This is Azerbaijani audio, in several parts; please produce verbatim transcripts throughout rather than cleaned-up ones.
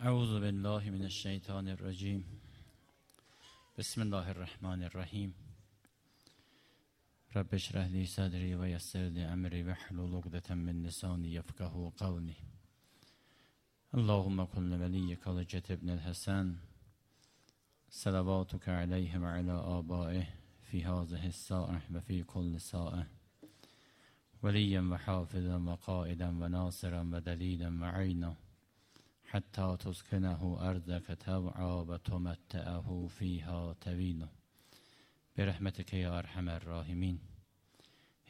أعوذ بالله من الشيطان الرجيم بسم الله الرحمن الرحيم رب اشرح لي صدري ويسر لي أمري واحلل عقدة من لساني يفقهوا قولي اللهم كن وليك الحجة ابن الحسن صلواتك عليه وعلى آبائه في هذه الساعة وفي كل ساعة وليا وحافظا وقائدا وناصرا ودليلا وعينا حتى تسكنه أرضك توعا وتمتعه فيها طويلا برحمتك يا أرحم الراحمين.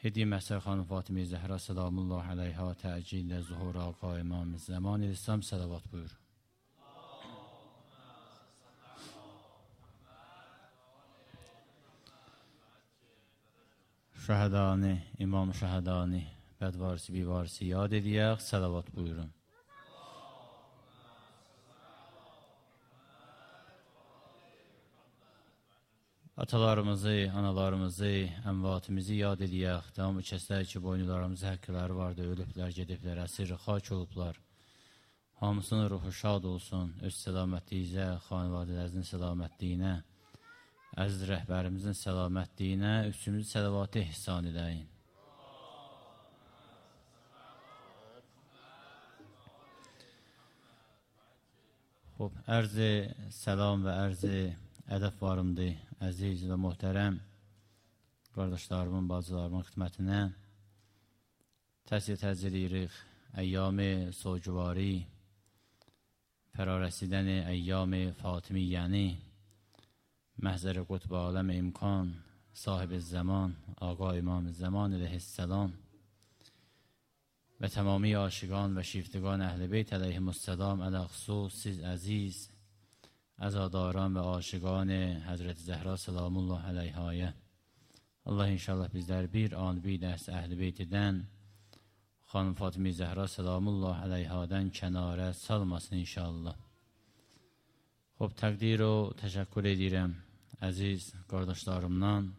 هدی محسن خانم فاطمه زهرا سلام الله علیها تعجیل ظهور آقا امام زمان اسلام صلوات buyur. Şəhədani, İmam Şəhədani, bədvarisi, bivarisi yad ediyək, salavat buyurun. Atalarımızı, analarımızı, əmvatimizi yad ediyək, devamlı kəslər ki, boynularımızı həqqələri vardı, ölüblər, gediblər, əsir, xaç olublar. Hamısının ruhu şad olsun, öz səlamətliyizə, xanvadələrinizin səlamətliyinə, əziz rəhbərimizin səlamətliyinə, üstümüzü səlavatı ihsan edəyin. Xob, ərzi səlam və ərzi ədəb varımdır, əziz və möhtərəm qardaşlarımın, bacılarımın xidmətinə təsir təzir edirik. Əyyam-ı soğucuvari, fərarəsidən əyyam-ı fatimiyyəni, məhzər-i qutb aləm imkan, sahib-i zaman, Aqa İmam-ı Zaman əleyhisselam və tamami aşiqan və şiftiqan əhl-i beyt əleyhimusselam ələxsus siz əziz, əzadaran və aşiqan Həzrət Zəhra salamullah əleyhaya. Allah inşallah bizlər bir an bir dərs əhl-i beytidən, xanım Fatimə Zəhra salamullah əleyhadən kənarə salmasın inşallah. Xob, təqdir o təşəkkür edirəm əziz qardaşlarımdan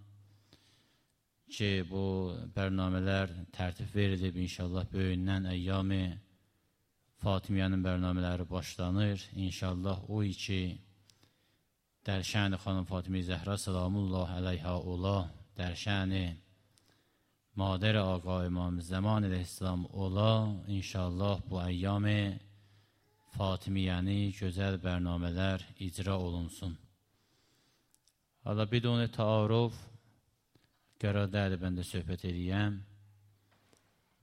ki, bu bərnamələr tərtib verilib, inşallah böyündən əyyam-ı Fatimiyyənin bərnamələri başlanır. İnşallah o iki dərşən-i xanım Fatimə Zəhra salamullah əleyha ola, dərşən-i madər Aqa İmam Zaman əleyhisselam ola, inşallah bu əyyam-ı Fatimiyyəni gözəl bərnamələr icra olunsun. Hala bidon-i taaruf qərar dəli bəndə söhbət edəyəm.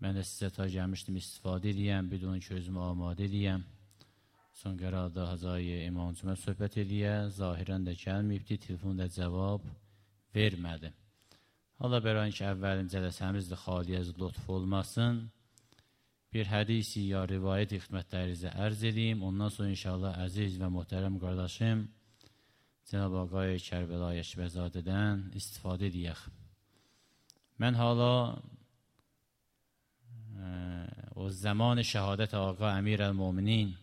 Mən də sizə ta gəlmişdim, istifadə edəyəm, bidon ki özümü amadə edəyəm. Son qərarda Hazayı İmamcımə söhbət ediyə, zahirən də gəlməyibdi, telefonda cavab vermədi. Allah bərayin ki, əvvəlin cələsəmizdə xaliyyəz lütf olmasın. Bir hədisi ya rivayət xidmətlərinizə ərz edeyim. Ondan sonra inşallah əziz və möhtərəm qardaşım Cənab-ı Ağay Kərbəlayi Əşbəzadədən istifadə edəyək. Mən hala o zaman şəhadət Ağa Əmir əl-Muminin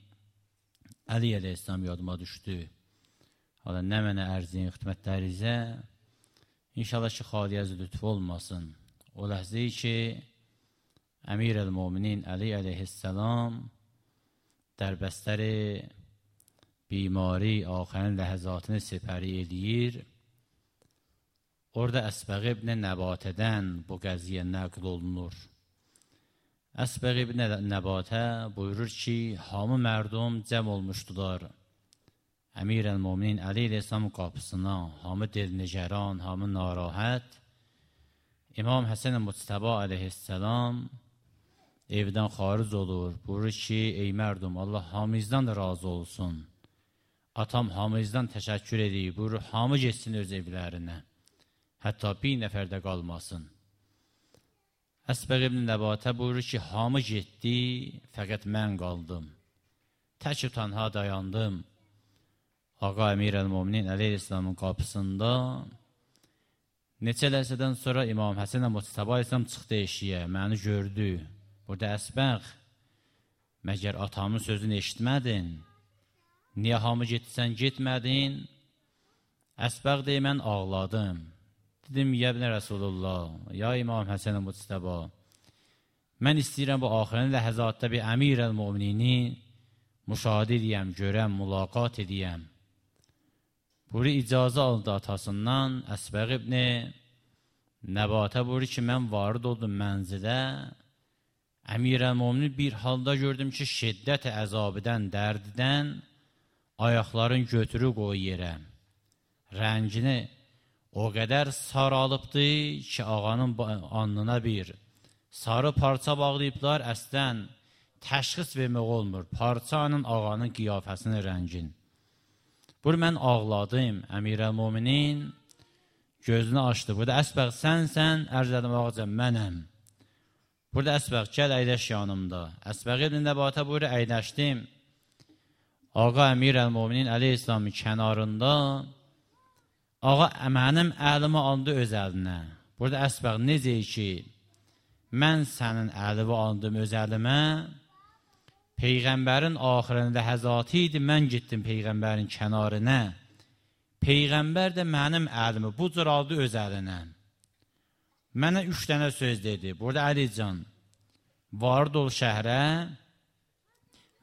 Əli əleyhisselam yadıma düşdü. Hala nə mənə ərzin xidmətlərinizə İnşallah ki, xaliyyəz lütf olmasın. O ləhzəyi ki, Əmir əl-Muminin Əli əleyhisselam dərbəstəri bimari axərin ləhəzatını sepəri edir. Orada Əsbəq ibn Nəbatədən bu qəziyyə nəql olunur. Əsbəq ibn Nəbatə buyurur ki, hamı mərdum cəm olmuşdular. Əmir əl-Muminin Əli əleyhisselam qapısına, hamı dilnigəran, hamı narahat. İmam Həsən Muctəba əleyhisselam evdən xaric olur. Buyurur ki, ey mərdum, Allah hamımızdan da razı olsun. Atam hamımızdan təşəkkür edir. Buyurur, hamı geçsin öz evlərinə. Hətta bir nəfər də qalmasın. Əsbəq ibn Nəbatə buyurur ki, hamı getdi, fəqət mən qaldım. Tək tənha dayandım. Ağa Əmir əl-Muminin Əli əleyhisselamın qapısında neçə ləhzədən sonra İmam Həsən Muctəba əleyhisselam çıxdı eşiyə, məni gördü. Burada Əsbəq, məgər atamın sözünü eşitmədin? Niyə hamı getsən getmədin? Əsbəq deyir, mən ağladım. Dedim, yəbnə Rəsulullah, ya İmam Həsən Muctəba, mən istəyirəm bu axirən ləhəzatda bir Əmir əl-Muminini müşahidə edəyəm, görəm, mülaqat edəyəm. Buyur, icazə aldı atasından, Əsbəq ibn Nəbatə buyur ki, mən varid oldum mənzilə. Əmirəl-Möminin bir halda gördüm ki, şiddət əzabıdan, dərdidən ayaqların götürü qoy yerə. Rəngini o qədər saralıbdı ki, ağanın alnına bir sarı parça bağlayıblar, əslən təşxis vermək olmur. Parçanın ağanın qiyafəsinin rəngin. Buyur, mən ağladım, Əmirəl-Möminin gözünü açdı. Burada Əsbəq sənsən, ərz edim ağaca, mənəm. Burada Əsbəq, gəl əyləş yanımda. Əsbəq ibn Nəbatə buyur, əyləşdim. Ağa Əmirəl-Möminin əleyhisselamın kənarında, ağa mənim əlimi aldı öz əlinə. Burada Əsbəq necə ki, mən sənin əlimi aldım öz əlimə, Peyğəmbərin axirində həzatı idi, mən gittim Peyğəmbərin kənarına. Peyğəmbər də mənim əlimi bu cür aldı öz əlinə. Mənə üç dənə söz dedi. Burada Əlican, varid ol şəhrə,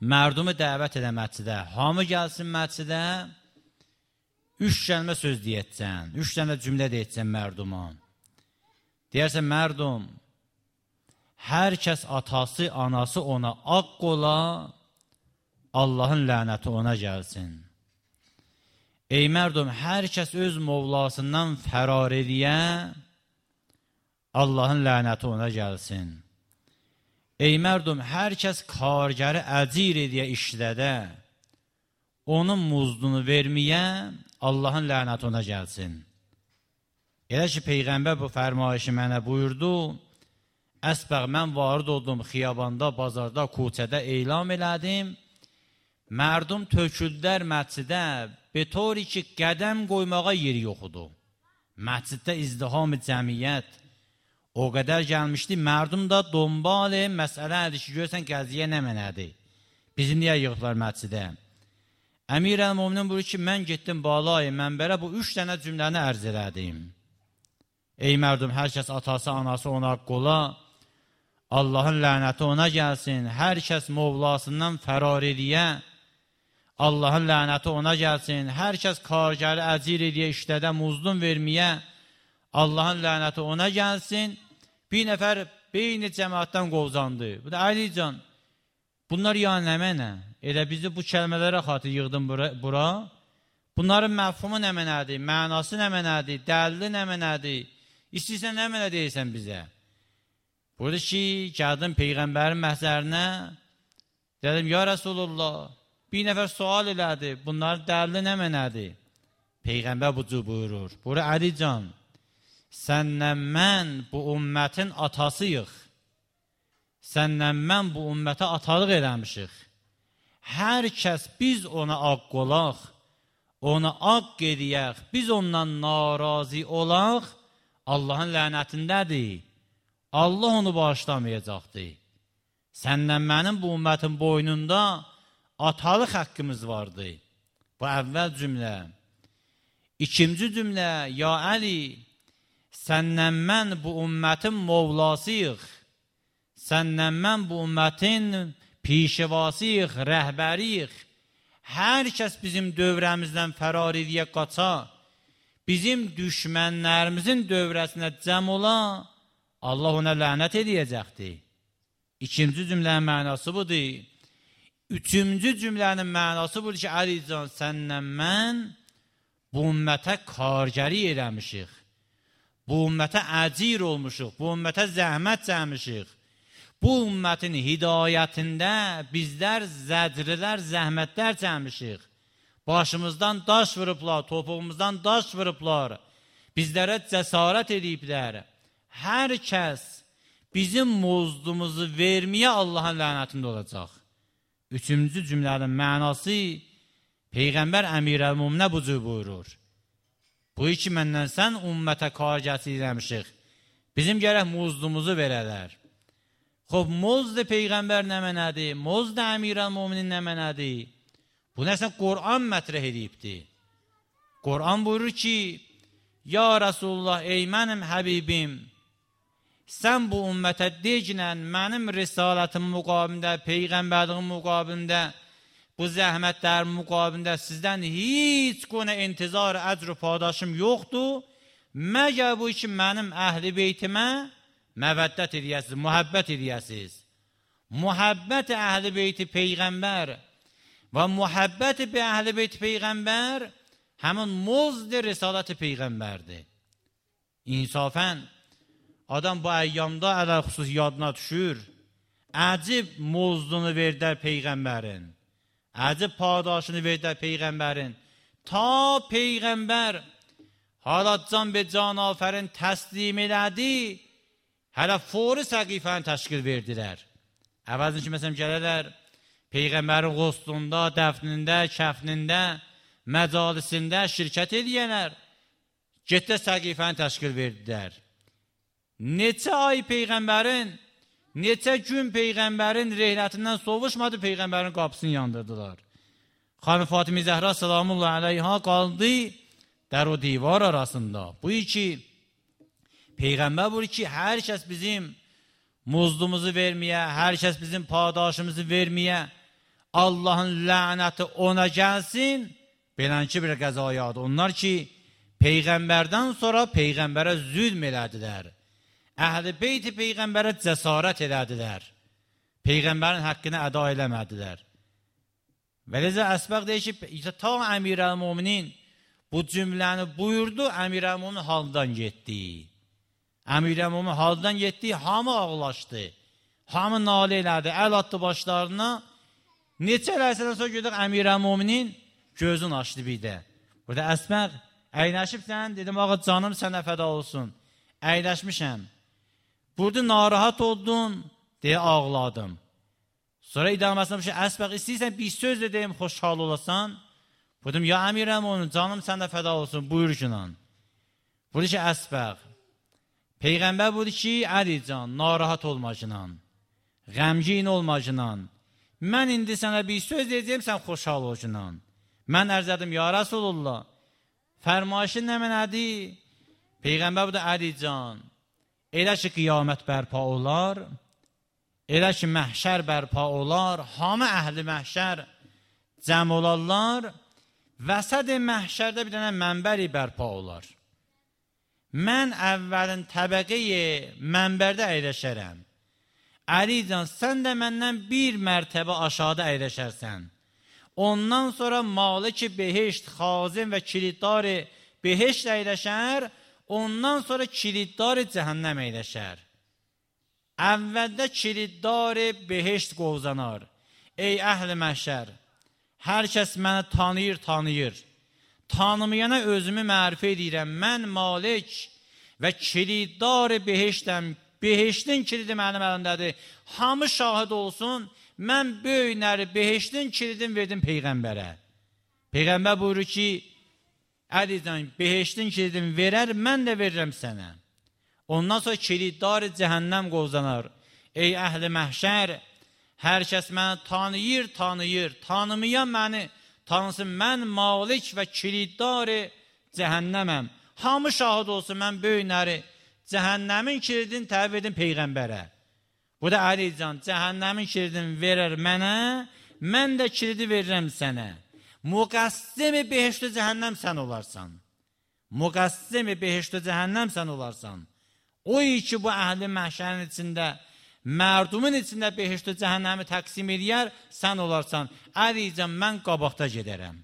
mərdumu dəvət edə məscidə, hamı gəlsin məscidə, üç kəlmə söz deyəcəksən, üç dənə cümlə deyəcəksən mərduma. Deyərsən, mərdum, hər kəs atası, anası ona aq ola, Allahın lənəti ona gəlsin. Ey mərdum, hər kəs öz Mövlasından fərar ediyə, Allahın lənəti ona gəlsin. Ey mərdum, hər kəs kargəri əcir ediyə işlədə, onun muzdunu verməyə, Allahın lənəti ona gəlsin. Elə ki, Peyğəmbər bu fərmayışı mənə buyurdu, Əsbəq, mən varid oldum xiyabanda, bazarda, kuçədə elam elədim, mərdum töküldər məscidə, betori ki, qədəm qoymağa yeri yoxudu. Məsciddə izdiham-ı cəmiyyət o qədər gəlmişdi, mərdum da dombali məsələ ədir ki, görsən qəziyə nə mənədir? Bizi niyə yığıblar məscidə? Əmirəl-Möminin buyur ki, mən getdim balayı mənbərə, bu üç dənə cümləni ərz elədim. Ey mərdum, hər kəs atası, anası ona qola, Allahın lənəti ona gəlsin, hər kəs Mövlasından fərar ediyə, Allahın lənəti ona gəlsin, hər kəs kargəri əcir ediyə, işlədə muzdun verməyə, Allahın lənəti ona gəlsin. Bir nəfər beyni cəmaatdan qovzandı. Bu da Əlican, bunlar yəni nə mənə? Elə bizi bu kəlmələrə xatır yığdım bura, bura. Bunların məfhumu nə mənədir, mənası nə mənədir, dəlili nə mənədir? İstəyirsən nə mənə deyirsən bizə? Burada ki, gəldim Peyğəmbərin məhzərinə, dedim, ya Rasulullah, bir nəfər sual elədi, bunların dəlili nə mənədir? Peyğəmbər bu cür buyurur. Burada Əlican, sənlə mən bu ümmətin atasıyıq. Sənlə mən bu ümmətə atalıq eləmişik. Hər kəs biz ona aq olaq, ona aq ediyək, biz ondan narazı olaq, Allahın lənətindədir. Allah onu bağışlamayacaqdır. Səndən mənim bu ümmətin boynunda atalıq haqqımız vardı. Bu əvvəl cümlə. İkinci cümlə, ya Əli, səndən mən bu ümmətin Mövlasıyıq. Səndən mən bu ümmətin pişevasıyıq, rəhbəriyik. Hər kəs bizim dövrəmizdən fərar ediyə qaça, bizim düşmənlərimizin dövrəsinə cəm ola, Allah ona lənət edəcəkdir. İkinci cümlənin mənası budur. Üçüncü cümlənin mənası budur ki, Əlican, səndən mən bu ümmətə kargəri eləmişik. Bu ümmətə əcir olmuşuq, bu ümmətə zəhmət çəkmişik. Bu ümmətin hidayətində bizlər zəcrilər, zəhmətlər çəkmişik. Başımızdan daş vurublar, topuğumuzdan daş vurublar. Bizlərə cəsarət ediblər. Hər kəs bizim muzdumuzu verməyə Allahın lənətində olacaq. Üçüncü cümlənin mənası Peyğəmbər Əmirəl-Möminə bu cür buyurur. Bu iki məndən sən ümmətə kargəsi eləmişik. Bizim gərək muzdumuzu verələr. Xob, muzd Peyğəmbər nə mənədir? Muzd Əmirəl-Möminin nə mənədir? Bu nəsə Qur'an mətrəh edibdir. Qur'an buyurur ki, ya Rasulullah, ey mənim Həbibim, sən bu ümmətə deginən mənim risalətim müqabilində, Peyğəmbərliğin müqabilində bu zəhmətlərin müqabilində sizdən heç qona intizar, əcr və padaşım yoxdur. Məgər bu ki, mənim əhl-i beytimə məvəddət edəyəsiniz, mühəbbət edəyəsiniz. Muhabbet Ehl-i Beyt-i Peygamber ve muhabbet be Ehl-i Beyt-i Peygamber hemen muzd Risalet-i Peygamberdi. İnsafen adam bu eyyamda alel husus yadına düşür. Acib muzdunu verdiler Peygamberin. Acib padaşını verdiler Peygamberin. Ta Peygamber hala can be can aferin teslim elədi. Hala fori səqifəni təşkil verdiler. Əvvəlcə ki, məsələn, gələrlər, Peyğəmbərin qoslunda, dəfnində, kəfnində, məcalisində şirkət edəyənlər, getdə səqifəni təşkil verdilər. Neçə ay Peyğəmbərin, neçə gün Peyğəmbərin rehlətindən sovuşmadı, Peyğəmbərin qapısını yandırdılar. Xanım Fatimi Zəhra salamullah aleyha qaldı dər o divar arasında. Bu iki, Peyğəmbər buyur ki, hər kəs bizim muzdumuzu verməyə, hər kəs bizim padaşımızı verməyə, Allahın lənəti ona gəlsin, belənki bir qəzayadır. Onlar ki, Peyğəmbərdən sonra Peyğəmbərə zülm elədilər. Əhl-i Beyt-i Peyğəmbərə cəsarət elədilər. Peyğəmbərin haqqını əda eləmədilər. Və ləzə əsbəq deyir ki, ta Əmir-əl-Muminin bu cümləni buyurdu, Əmir-əl-Mumin haldan getdi. Əmir-əl-Mumin haldan getdi, hamı ağlaşdı. Hamı nalə elədi, əl atdı başlarına. Neçə eləsədən sonra gördük Əmir-əl-Muminin gözün açdı bir də. Burada əsbəq, əyləşibsən, dedim, ağa canım sənə fəda olsun. Əyləşmişəm. Burada narahat oldun, deyə ağladım. Sonra idaməsində bir şey, əsbəq, istəyirsən bir söz də deyim, xoşhal olasan. Dedim, ya Əmir-əl-Mumin, canım sənə fəda olsun, buyur günan. Burada ki, əsbəq, Peyğəmbər budur ki, Əli can, narahat olmacınan, qəmgin olmacınan, mən indi sənə bir söz deyəcəyim, sən xoşhal olcunan. Mən ərz edim, ya Rasulullah, fərmayışın nə mənədir? Peyğəmbər budur, Əli can, elə ki, qiyamət bərpa olar, elə ki, məhşər bərpa olar, hamı əhli məhşər cəm olarlar, vəsəd məhşərdə bir dənə mənbəri bərpa olar. Mən əvvəlin təbəqəyi mənbərdə əyləşərəm. Əli can, sən də məndən bir mərtəbə aşağıda əyləşərsən. Ondan sonra Malik-i Behişt, Xazin və kiliddarı Behişt əyləşər, ondan sonra kiliddarı cəhənnəm əyləşər. Əvvəldə kiliddarı Behişt qovzanar. Ey əhl-i məhşər, hər kəs məni tanıyır, tanıyır. Tanımayana özümü mərifə edirəm. Mən Malik və kiliddarı Behiştəm. Behiştin kilidi mənim əlimdədir. Hamı şahid olsun, mən böyünəri Behiştin kilidini verdim Peyğəmbərə. Peyğəmbər buyurur ki, Əlican, Behiştin kilidini verər, mən də verirəm sənə. Ondan sonra kiliddarı cəhənnəm qovzanar. Ey əhli məhşər, hər kəs məni tanıyır, tanıyır. Tanımayan məni tanısın, mən Malik və kiliddarı cəhənnəməm. Hamı şahid olsun, mən böyünəri cəhənnəmin kilidini təvib edin Peyğəmbərə. Bu da Əlican, cəhənnəmin kilidini verər mənə, mən də kilidi verirəm sənə. Müqəssimi behiştü cəhənnəm sən olarsan. Müqəssimi behiştü cəhənnəm sən olarsan. O ki, bu əhli məhşərin içində, mərdumun içində behiştü cəhənnəmi təqsim edər, sən olarsan. Əlican, mən qabaqda gedərəm.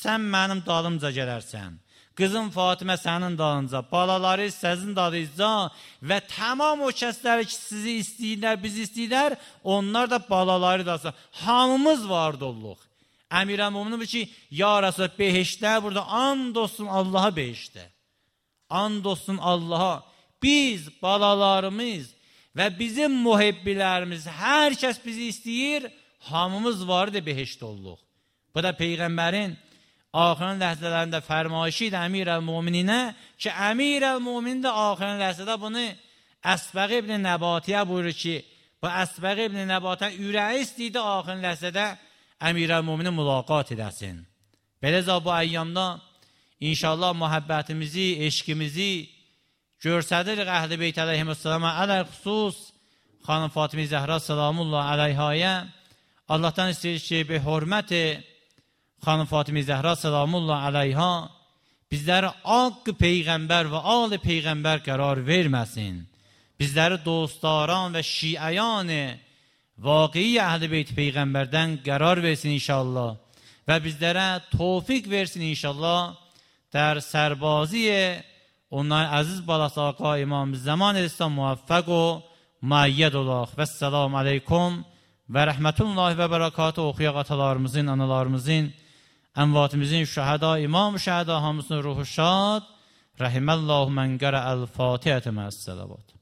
Sən mənim dalımca gələrsən. Qızım Fatimə sənin dalınca, balaları səzin dalınca və tamam o kəsləri ki, sizi istəyirlər, bizi istəyirlər, onlar da balaları dalınca. Hamımız vardı olluq. Əmir-əl-Muminin bu ki, ya Rasul, behiştlər burada, and olsun Allaha behiştə. And olsun Allaha. Biz, balalarımız və bizim muhibbilərimiz, hər kəs bizi istəyir, hamımız vardı behişt olluq. Bu da Peyğəmbərin axirin ləhzələrində fərmayışı idi Əmir-əl-Mumininə ki, Əmir-əl-Mumin də axirin ləhzədə bunu Əsbəq ibn Nəbatiyə buyurur ki, bu Əsbəq ibn Nəbatiyə ürəyi istəyirdi axirin ləhzədə Əmir-əl-Mumini mülaqat edəsin. Beləcə bu əyyamda inşallah məhəbbətimizi, eşqimizi görsədirik Əhl-i Beyt əleyhissalama, ələl xüsus xanım Fatimi Zəhra salamullah əleyhaya, Allah'tan istəyirik ki, bir hörməti xanım Fatimə Zəhra salamullah əleyha bizləri haqq peyğəmbər və ali peyğəmbər qərar verməsin. Bizləri dostdaran və şiəyan vaqei əhl-i beyt peyğəmbərdən qərar versin inşallah və bizlərə tövfiq versin inşallah در سربازی اونای عزیز بالا آقا امام زمان اسلام موفق و مؤید الله و السلام علیکم و رحمت الله و برکاته oxuyaq atalarımızın, analarımızın, əmvatımızın, şəhəda, imam şəhəda hamısının ruhu şad. Rahimallahu mən qərəəl Fatihətə məs-salavat.